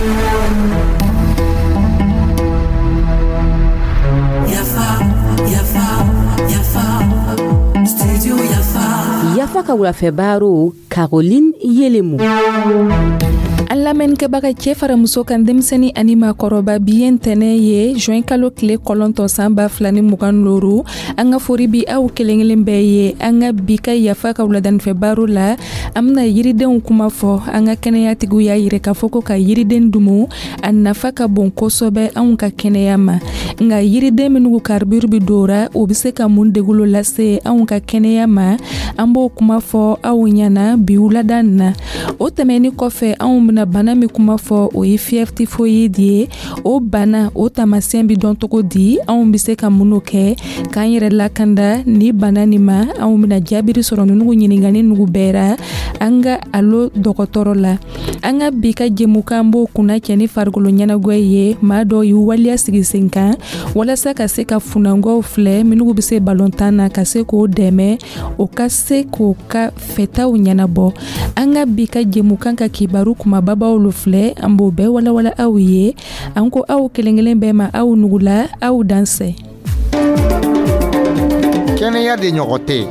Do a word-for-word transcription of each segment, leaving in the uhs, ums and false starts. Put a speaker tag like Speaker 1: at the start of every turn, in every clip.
Speaker 1: Yafa, Yafa, Yafa, Studio Yafa.
Speaker 2: Yafa ka wulafɛ baro, Caroline Yelemu.
Speaker 3: An lamɛnnikɛbaga, cɛɛ fara muso kan, denmisɛni ani maakɔrɔba, bi ye ntɛnɛ ye, juin kalo tile kɔlɔntɔn, san ba fila ni mugan looru. An ka fori bi aw kelen kelen bɛɛ ye. An ka bi ka Yafa ka wuladanifɛ baro la, an bena yiridenw kuma fɔ. An ka kɛnɛyatigiw y'a yirɛ k'a fɔ ko ka yiriden dumu, a nafa ka bon kosɛbɛ anw ka kɛnɛya ma. Nka yiriden minnu carbure bi dora, o be se ka mun degulo lase anw ka kɛnɛya ma? An b'o kuma fɔ aw ɲɛna bi wulada na. O tɛmɛni kɔfɛ, anw bena bana min kuma fɔ, o ye fièvre typhoïde ye. O bana, o taamasiyɛn bi dɔn cogo di? Anw be se ka minnu kɛ k'an yɛrɛ lakanda ni bana nin ma? Anw bena jaabiri sɔrɔ nunugu ɲiningani nugu bɛɛ ra an ka alo dɔgɔtɔrɔ la. An ka bi ka jɛmukan b'o kunna cɛ ni farikolo ɲɛnagwɛ ye. Maa dɔw y'u waleya sigi sen kan walasa ka se ka funangɔw filɛ minnu be se balontan na, ka se k'o dɛmɛ, o ka se k'o ka fɛtaw ɲɛnabɔ. An ka bi ka jɛmukan ka kibaru kumababaw lo filɛ, an b'o bɛɛ walawala aw ye. An ko aw kelen kelen bɛɛ ma, aw nugula, aw dansɛ.
Speaker 4: Kɛnɛya de ɲɔgɔn tɛ.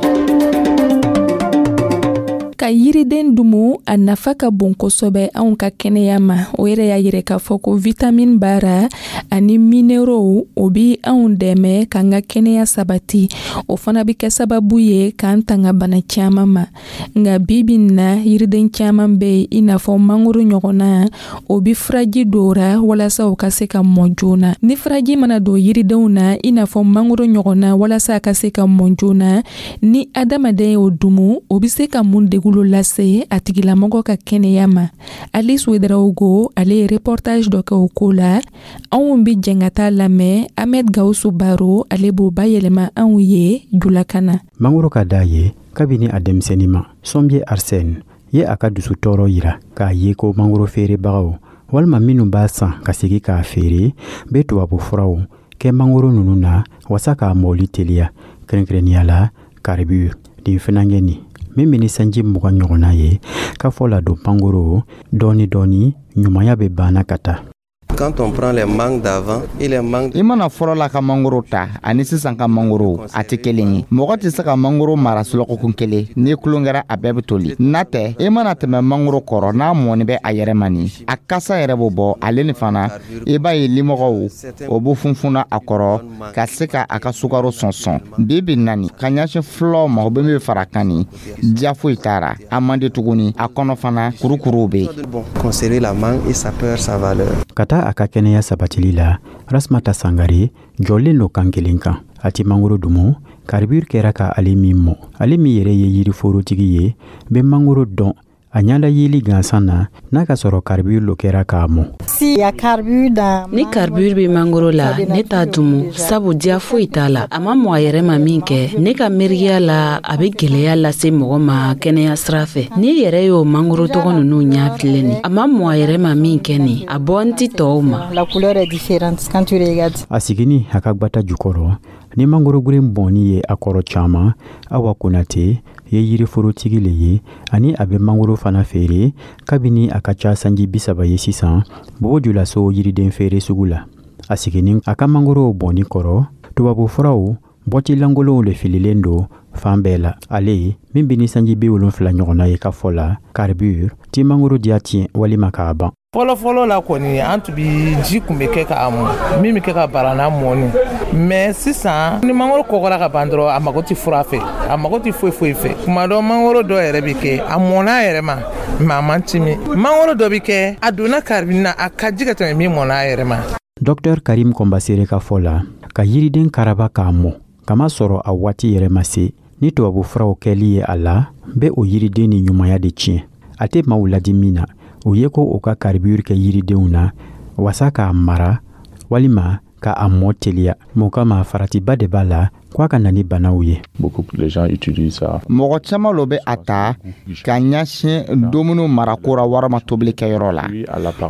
Speaker 3: Ka yiriden dumu, a nafa ka bon kosɛbɛ anw ka kɛnɛya ma. O yɛrɛ y'a yirɛ k'a fɔ ko vitamine b'a ani minéraux, o bi anw dɛmɛ k'an ka kɛnɛya sabati. O fana bi kɛ sababu ye k'an tanga bana caaman ma. Nka bibi na, yiriden caaman be yen, i n'a fɔ mangoro ɲɔgɔnna, o bi furaji dora walasa o ka se ka mɔ joona. Ni furaji mana don yiridenw na, i n'a fɔ mangoro ɲɔgɔnna, walasa a ka se ka mɔ joona, ni adamaden y'o dumu, o be se ka mun degulo lase a tigilamɔgɔ ka kɛnɛya ma? Alice Ouedraogo, ale ye reportage dɔ kɛ o ko la. Anw bi jɛn ka taa lamɛn. Ahmed Gawusu Baro, ale b'o bayɛlɛma anw ye julakan na.
Speaker 5: Mangoro ka d'a ye kabini a denmisɛnnin ma. Sɔnbiye Arsène ye a ka dusu tɔɔrɔ yira k'a ye ko mangoro feerebagaw walima minnu b'a san ka segi k'a feere bɛ tubabu furaw kɛ mangoro ninnu na wasa k'a mɔli teliya, kɛrɛnkɛrɛnniya la carbure nin finankɛ nin min bɛ ni sanji mugan ɲɔgɔnna ye k'a fɔ ladon mangoro dɔɔni dɔɔni, ɲumanya bɛ banna ka taa.
Speaker 6: Quand on prend les mangues d'avant et les mangues
Speaker 4: I mana fɔlɔ la ka mangoro ta ani sisan ka mangoro, a tɛ kelen ye. Mɔgɔ tɛ se ka mangoro mara sulɔkɔkun kelen. Ni kulon kɛra, a bɛɛ bɛ toli. N'a tɛ, i mana tɛmɛ mangoro kɔrɔ, n'a mɔni bɛ a yɛrɛ ma, nin a kasa yɛrɛ b'o bɔ. Ale ni fana, i b'a ye limɔgɔw o b'u funfunna a kɔrɔ ka se ka a ka sukaro sɔnsɔn. Bi bi nani ka ɲɛsin fulaw ma, o bɛ min fara kan nin, diya foyi t'a a man di tuguni. A kɔnɔ fana, kurukuruw bɛ yen.
Speaker 6: Bon, conserver la mangue et ça perd sa valeur.
Speaker 5: Ka taa a ka kɛnɛya sabatili la, Rasmata Sangare jɔlen lo kan kelen kan. A ti mangoro dumu carbure kɛra ka ale min mɔ. Ale min yɛrɛ ye yiriforotigi ye, bɛ mangoro dɔn a ɲada yeli gansan na, n'a ka sɔrɔ carbure lo kɛra k'a mɔ.
Speaker 7: Ni carbure bɛ mangoro la, ne t'a dumu, sabu diya foyi t'a la. A ma mɔ a yɛrɛ ma min kɛ, ne ka miiriya la, a bɛ gwɛlɛya lase mɔgɔ ma kɛnɛya sira fɛ. N'i yɛrɛ y'o mangoro tɔgɔ ninnu ɲɛ filɛ nin, a ma mɔ a yɛrɛ ma min kɛ nin, a bɔ n ti tɔw ma.
Speaker 5: A sigini a ka gwata jukɔrɔ ni mangoro guren bɔnni ye a kɔrɔ caaman. Awa Konate ye yiriforotigi le ye, ani a bɛ mangoro fana feere kabini a ka ca sanji bi saba ye sisan Bobo Julaso yiriden feere sugu la. A sigini a ka mangorow bɔnni kɔrɔ, tubabufuraw bɔti lankolonw le fililen don fan bɛɛ la. Ale min bɛ ni sanji bi wolonfila ɲɔgɔnna ye, ka fɔ la, carbure ti mangoro diya tiɲɛ walima k'a ban.
Speaker 8: Fɔlɔfɔlɔ la kɔni, an tun bi ji kun bɛ kɛ k'a mɔ, min bɛ kɛ ka barana mɔni. Mais sisan, ni mangoro kɔgɔra ka ban dɔrɔn, a mago tɛ fura fɛ, a mago tɛ foyi foyi fɛ. Kuma dɔ, mangoro dɔ yɛrɛ bɛ kɛ, a mɔnna a yɛrɛ ma, mais a man timi. Mangoro dɔ bɛ kɛ, a donna carbure na, a ka ji ka tɛmɛ min mɔnna a yɛrɛ ma.
Speaker 5: Dɔktɛr Karim Kɔnbasere ka fɔ la, ka yiriden karaba k'a mɔ kama sɔrɔ a waati yɛrɛ ma se, ni tubabu furaw kɛli ye a la, bɛ o yiriden ni ɲumanya de tiɲɛ. A tɛ maaw ladi min na, o ye ko o ka carbure kɛ yiridenw na wasa k'a mara walima ka a mɔ teliya. Mun kama faratiba de b'a la ko a ka na ni banaw ye.
Speaker 4: Mɔgɔ caman lo bɛ a ta ka ɲɛsin dumuni marako ra walima tobilikɛyɔrɔ la.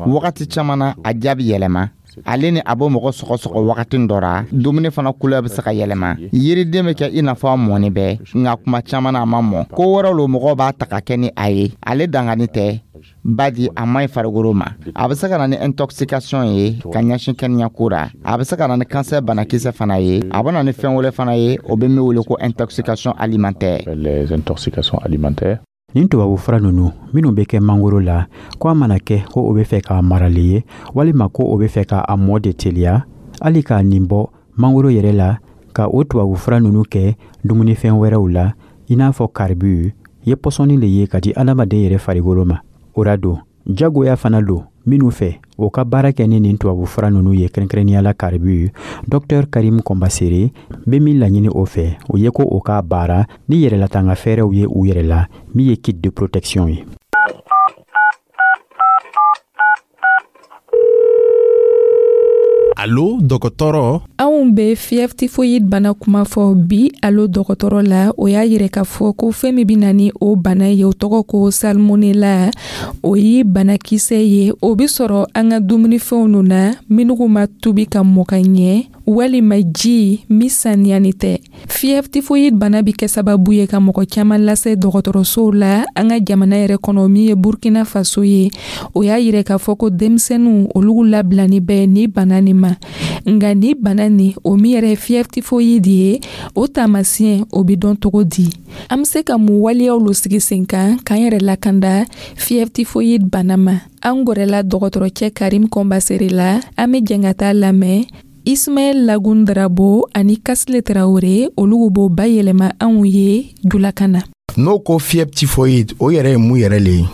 Speaker 4: Wagati caman na, a jaabi yɛlɛma. Ale ni a bɛ mɔgɔ sɔgɔsɔgɔ wagati dɔ ra, dumuni fana couleur bɛ se ka yɛlɛma. Yiriden bɛ kɛ i n'a fɔ a mɔni bɛ, nka kuma caman na a ma mɔ. Ko wɛrɛw lo mɔgɔw b'a ta ka kɛ ni a ye. Ale dangani tɛ, badi a man ɲi farikolo ma. A bɛ se ka na ni intoxication ye ka ɲɛsin kɛnɛyako ra. A bɛ se ka na ni cancer banakisɛ fana ye. A bɛ na ni fɛn wɛrɛ fana ye, o bɛ min wele ko intoxication alimentaire.
Speaker 9: Les intoxications alimentaires.
Speaker 5: Nin tubabufura ninnu minnu bɛ kɛ mangoro la, ko a mana kɛ ko o bɛ fɛ k'a marali ye walima ko o bɛ fɛ k'a mɔ de teliya, hali k'a nin bɔ mangoro yɛrɛ la ka o tubabufura ninnu kɛ dumunifɛn wɛrɛw la, i n'a fɔ carbure ye pɔsɔni le ye ka di adamaden yɛrɛ farikolo ma. O ra don jagoya fana don minnu fɛ o ka baara kɛ ni nin tubabufura ninnu ye, kɛrɛnkɛrɛnnenya la carbure. Docteur Karim Kɔnbasere bɛ min laɲini o fɛ, o ye ko o k'a baara ni yɛrɛlatanga fɛɛrɛw ye u yɛrɛ la, min ye kit de protection ye.
Speaker 10: Alo dɔgɔtɔrɔ.
Speaker 3: Anw bɛ fièvre typhoïde bana kuma fɔ bi alo dɔgɔtɔrɔ la. O y'a yira k'a fɔ ko fɛn min bɛ na ni o bana ye, o tɔgɔ ko salmonella. O ye banakisɛ ye, o bɛ sɔrɔ an ka dumunifɛnw ninnu na minnu ma tobi ka mɔ ka ɲɛ, walima ji min saniyani tɛ. Fièvre typhoïde bana bɛ kɛ sababu ye ka mɔgɔ caman lase dɔgɔtɔrɔsow la an ka jamana yɛrɛ kɔnɔ, min ye Burkina Faso ye. O y'a yira k'a fɔ ko denmisɛnninw olu labilani bɛ ni bana nin ma. Nka ni bana nin, o min yɛrɛ ye fièvre typhoïde ye, o taamasiyɛn o bɛ dɔn cogo di? An bɛ se ka mun waleyaw lo sigi sen kan k'an yɛrɛ lakanda fièvre typhoïde bana ma? An gɛrɛla dɔgɔtɔrɔcɛ Karim Kɔnbasere la. An bɛ jɛn ka taa lamɛn. Ismaël Lagun Drabo ani Kasile Traoré, olu b'o bayɛlɛma anw ye julakan na.
Speaker 11: N'o ko fièvre typhoïde, o yɛrɛ ye mun yɛrɛ le ye?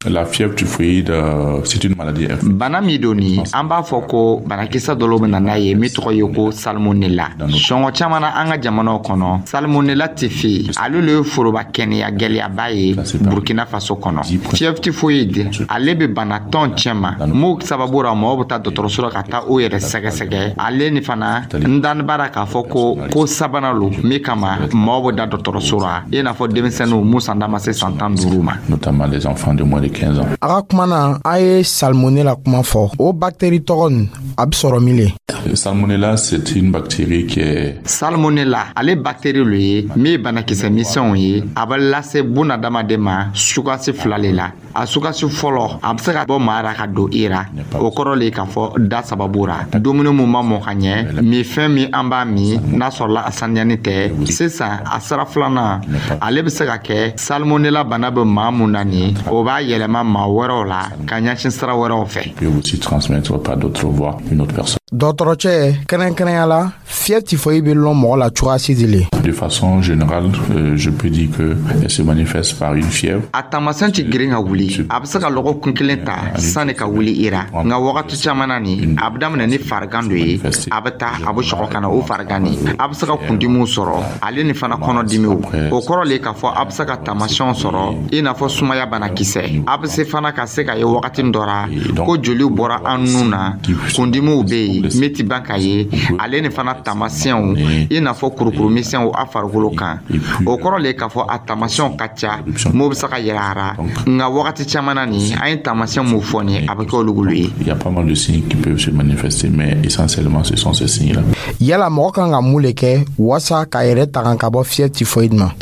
Speaker 9: La fièvre typhoïde, euh, c'est une maladie.
Speaker 4: Bana min don ni an b'a fɔ ko banakisɛ dɔw bɛ na n'a ye min tɔgɔ ye ko salmonella. Sɔngɔ caman na an ka jamanaw kɔnɔ, salmonella tɛ fe, ale le ye foroba kɛnɛya gɛlɛyaba ye Burkina Faso kɔnɔ. Fièvre typhoïde, ale bɛ bana tɔn cɛma mun sababu ra mɔgɔw bɛ taa dɔgɔtɔrɔso la ka taa o yɛrɛ sɛgɛsɛgɛ. Ale ni fana n dani b'a la k'a fɔ ko ko sabanan lo min kama mɔgɔw bɛ da dɔgɔtɔrɔso la, i n'a fɔ denmisɛnninw mun san da ma se san tan duuru ma.
Speaker 9: Notamment les enfants de moins de quinze ans.
Speaker 11: A ka kuma na, a ye salmonella kuma fɔ. O bactérie tɔgɔ nin, a bɛ sɔrɔ min le?
Speaker 9: Salmonella, c'est une bactérie qui est...
Speaker 4: Salmonella, ale bactérie lo ye min ye banakisɛ misɛnw ye. A bɛ lase bunadamaden ma sugasi fila le la. A sugasi fɔlɔ, a bɛ se ka bɔ maa ra ka don i ra. O kɔrɔ le k'a fɔ da sababu ra, dumuni mun ma mɔ ka ɲɛ, minfɛn min an b'a min n'a sɔrɔla a saniyani tɛ. Sisan a sira filanan, ale bɛ se ka kɛ salmonella bana bɛ maa mun na nin, o b'a yɛlɛma maa wɛrɛw la ka ɲɛsin sira wɛrɛw fɛ.
Speaker 9: Peut aussi transmettre par d'autres voies une autre personne.
Speaker 11: Dɔgɔtɔrɔcɛ, kɛrɛnkɛrɛnya la, fièvre typhoïde bɛ lɔn mɔgɔ la cogoya si de le?
Speaker 9: De façon générale, euh, je peux dire que elle se manifeste par une fièvre.
Speaker 4: A taamasiyɛn tɛ girin ka wuli. A bɛ se ka lɔgɔkun kelen ta sanni ka wuli i ra. Nka wagati caman na nin, a bɛ daminɛ ni farigan dɔ ye, a bɛ taa a bɛ sɔgɔ ka na o farigan nin. A bɛ se ka kundimiw sɔrɔ, ale ni fana kɔnɔdimiw. O kɔrɔ le k'a fɔ a bɛ se ka taamasiyɛnw sɔrɔ i n'a fɔ sumaya banakisɛ. A bɛ se fana ka se ka ye wagati dɔ ra ko joliw bɔra an nun na, kundimiw bɛ yen min ti ban ka ye, ale ni fana taamasiyɛnw i n'a fɔ kurukuru misɛnw a farikolo kan. O kɔrɔ le k'a fɔ a taamasiyɛnw ka ca, m'o bɛ se ka yɛlɛ a ra. Nka wagati caman na nin, an ye taamasiyɛn mun fɔ nin, a bɛ kɛ olu ye.
Speaker 9: Il y a pas mal de signes qui peuvent se manifester, mais essentiellement ce sont ces signes-là.
Speaker 11: Yala mɔgɔ kan ka mun le kɛ walasa k'a yɛrɛ tanga ka bɔ fièvre typhoïde ma?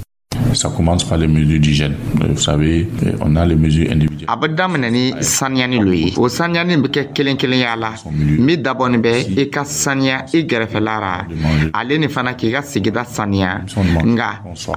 Speaker 9: Ça commence par les mesures d'hygiène. Vous savez, on a les mesures individuelles.
Speaker 4: A bɛ daminɛ ni saniyani lo ye. O saniyani bɛ kɛ kelen kelenya la. Min dabɔnin bɛ i ka saniya i gɛrɛfɛla ra, ale ni fana k'i ka sigida saniya. Nka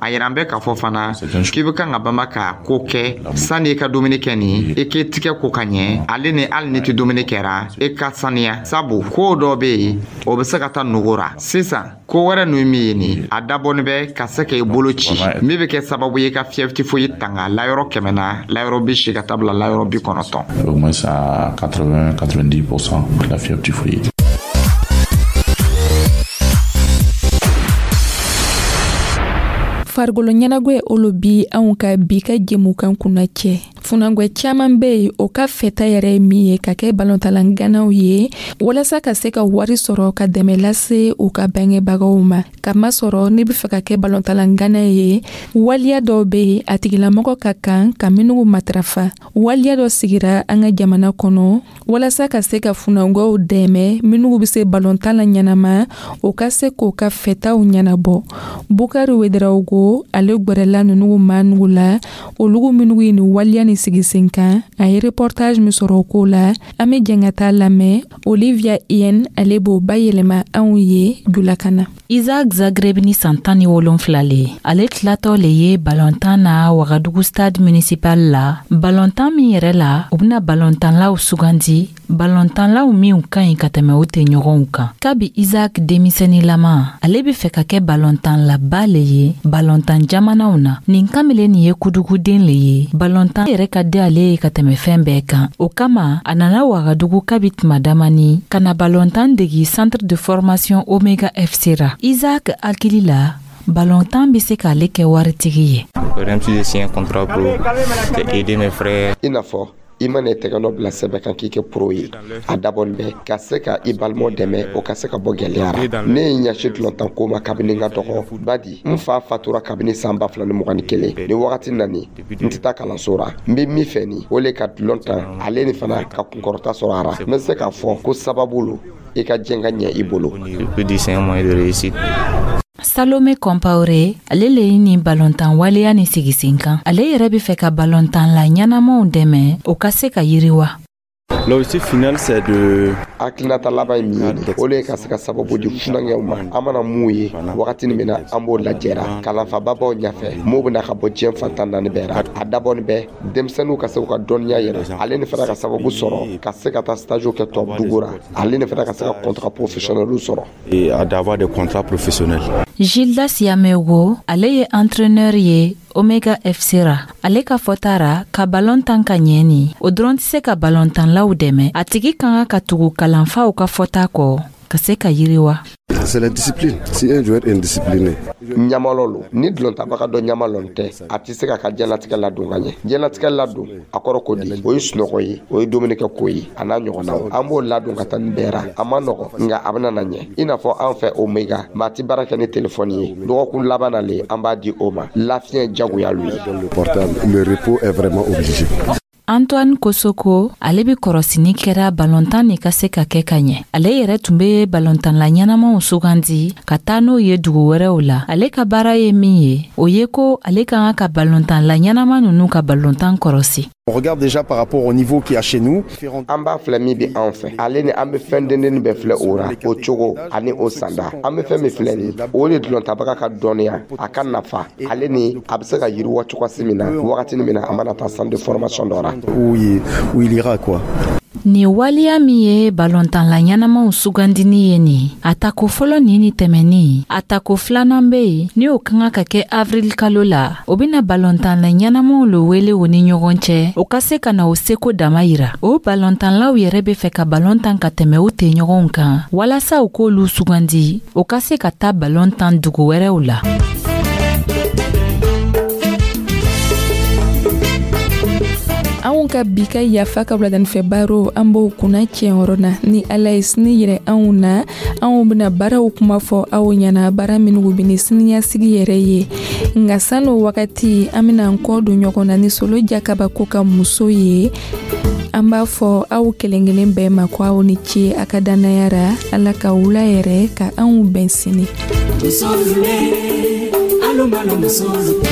Speaker 4: a yira an bɛ k'a fɔ fana k'i bɛ kan ka banba ka ko kɛ sani i ka dumuni kɛ nin, i k'i tigɛ ko ka ɲɛ, ale ni hali ni tɛ dumuni kɛra, i ka saniya. Sabu ko dɔ bɛ yen, o bɛ se ka taa nugu ra. Sisan ko wɛrɛ ninnu min ye nin, a dabɔnin bɛ ka se k'i bolo ci, min bɛ kɛ sababu ye ka fièvre typhoïde tanga layɔrɔ kɛmɛ na, layɔrɔ bi seegin ka taa bila layɔrɔ bi kɔnɔntɔn.
Speaker 9: Au moins à quatre-vingts quatre-vingt-dix pour cent la fièvre typhoïde.
Speaker 3: Farikolo ɲɛnagwɛ olu bi anw ka bi ka jɛmukan kunna cɛ. Funangwɛ caman bɛ yen, o ka fɛta yɛrɛ ye min ye ka kɛ balontanla ganaw ye, walasa ka se ka wari sɔrɔ ka dɛmɛ lase u ka bangebagaw ma. Kamasɔrɔ n'i bɛ fɛ ka kɛ balontanla gana ye, waliya dɔw bɛ yen, a tigilamɔgɔ ka kan ka minnu matarafa. Waliya dɔ sigira an ka jamana kɔnɔ walasa ka se ka funangwɛw dɛmɛ, minnu bɛ se balontan la ɲɛnama, o ka se k'o ka fɛtaw ɲɛnabɔ. Bukari Wedarawogo, ale gwɛrɛla ninnu maanugu la, olugu minnu ye nin waliya ni sigi sen kan. A ye reportage min sɔrɔ o ko la, an bɛ jɛn ka taa lamɛn. Olivia Yen, ale b'o bayɛlɛma anw ye julakan na.
Speaker 7: Isaac Zagreb ni san tan ni wolonfila le, ale tilatɔ le ye balontan na Wagadugu Stade Municipal la. Balontan min yɛrɛ la, u bena balontanlaw sugandi, balontanlaw minw ka ɲi ka tɛmɛ o tɛ ɲɔgɔnw kan. Kabi Isaac denmisɛnninlama, ale be fɛ ka kɛ balontanlaba le ye balontan jamanaw na. Nin kamalen nin ye kuduguden le ye. Balontan yɛrɛ ka di ale ye ka tɛmɛ fɛn bɛɛ kan. O kama a nana Wagadugu kabi tuma damani ka na balontan degi Centre de formation Omega F C ra. Isaac hakili la, balontan bɛ se k'ale kɛ waritigi ye.
Speaker 6: I n'a fɔ i mana i tɛgɛ bila sɛbɛn kan k'i kɛ pro ye, a dabɔnin bɛ ka se ka i balimaw dɛmɛ, o ka se ka bɔ gɛlɛya ra. Ne ye ɲɛsin dulɔntan ko ma kabini n ka dɔgɔ badi. N fa fatura kabini san ba fila ni mugan ni kelen. Ni wagati nani, n tɛ taa kalanso ra. N bɛ min fɛ ni o le ka dulɔn tan, ale ni fana ka kunkɔrɔta sɔrɔ a ra. N bɛ se k'a fɔ ko sababu lo i ka diɲɛ ka ɲɛ i bolo.
Speaker 7: Salome Kɔnpawure, ale le ye nin balontan waleya ni sigi sen kan. Ale yɛrɛ be fɛ ka balontanla ɲɛnamaw dɛmɛ, o ka se ka yiriwa.
Speaker 10: L'objectif final, c'est de
Speaker 6: Hakilinata laban ye min ye, o le ye ka se ka sababu di funankɛw ma. An mana mun ye wagati min na, an b'o lajɛra kalanfababaw ɲɛfɛ, m'o bɛna ka bɔ diɲɛ fantan naani bɛɛ ra. A dabɔni bɛ denmisɛnninw ka se k'u ka dɔnniya yɛlɛ, ale ni fana ka sababu sɔrɔ ka se ka taa stage kɛ tubabu dugu ra, ale ni fana ka se ka contrat professionnel sɔrɔ.
Speaker 10: Et d'avoir des contrats professionnels.
Speaker 7: Gildas Yamego, ale ye entraîneur ye Omega F C ra. Ale ka fɔta ra, ka balon tan ka ɲɛ ni o dɔrɔn tɛ se ka balontanlaw dɛmɛ. A tigi ka kan ka tugu kalanfaw ka fɔta kɔ ka se ka yiriwa.
Speaker 12: C'est la discipline. Si un joueur est indiscipliné,
Speaker 6: Ɲamalɔ lo. Ni dulɔntabaga dɔ ɲamalɔn tɛ, a tɛ se ka ka diɲɛlatigɛ ladon ka ɲɛ. Diɲɛlatigɛ ladon, a kɔrɔ ko di? O ye sunɔgɔ ye, o ye dumunikɛ ko ye, a n'a ɲɔgɔnnaw. An b'o ladon ka taa nin bɛɛ ra. A ma nɔgɔ, nka a bɛna na ɲɛ. I n'a fɔ an fɛ Omega, maa ti baara kɛ ni telefɔni ye. Dɔgɔkun laban na le an b'a di o ma. Lafiɲɛ jagoya lu ye.
Speaker 12: Le portable, le repos est vraiment obligé.
Speaker 7: Antoine Kosoko, ale be kɔrɔsini kɛra balontan ni ka se ka kɛ ka ɲɛ. Ale yɛrɛ tun be balontanla ɲɛnamaw sugandi ka taa n'o ye dugu wɛrɛw la. Ale ka baara ye min ye, o ye ko ale ka kan ka balontanla ɲɛnama nunu ka balontan kɔrɔsi.
Speaker 13: On regarde déjà par rapport au niveau qu'il y a chez nous.
Speaker 6: An b'a filɛ min bɛ anw fɛ, ale ni an bɛ fɛn dendennin bɛɛ filɛ o ra, o cogo ani o sanda. An bɛ fɛn min filɛ nin, o de dulɔntabaga ka dɔnniya, a ka nafa, ale ni a bɛ se ka yiriwa cogosi min na, wagati min na a mana taa centre de formation dɔ ra.
Speaker 13: Où il, où il ira, quoi.
Speaker 7: Nin waleya min ye balontanla ɲɛnamaw sugandini ye nin, a tako fɔlɔ nin ni tɛmɛni, a tako filanan be yen ni o ka kan ka kɛ avril kalo la. O bena balontanla ɲɛnamaw lo wele o ni ɲɔgɔn cɛ, o ka se ka na o seko dama yira. O balontanlaw yɛrɛ be fɛ ka balon tan ka tɛmɛ u tɛɲɔgɔnw kan, walasa u k'olu sugandi, o ka se ka taa balon tan dugu wɛrɛw la.
Speaker 3: Anw ka bi ka Yafa ka wuladanifɛ baro, an b'o kunna tiɲɛyɔrɔ na. Ni Ala ye sini yɛrɛ anw na, anw bena baaraw kuma fɔ aw ɲɛna, baara minnu bɛ ni siniɲɛsigi yɛrɛ ye. Nka san'o wagati, an bena an kɔ don ɲɔgɔn na ni Solo Jakabako ka muso ye. An b'a fɔ aw kelen kelen bɛɛ ma ko aw ni ce a ka dannaya ra. Ala ka wula yɛrɛ ka anw bɛn sini.
Speaker 1: Musolu le, alumalo musolu.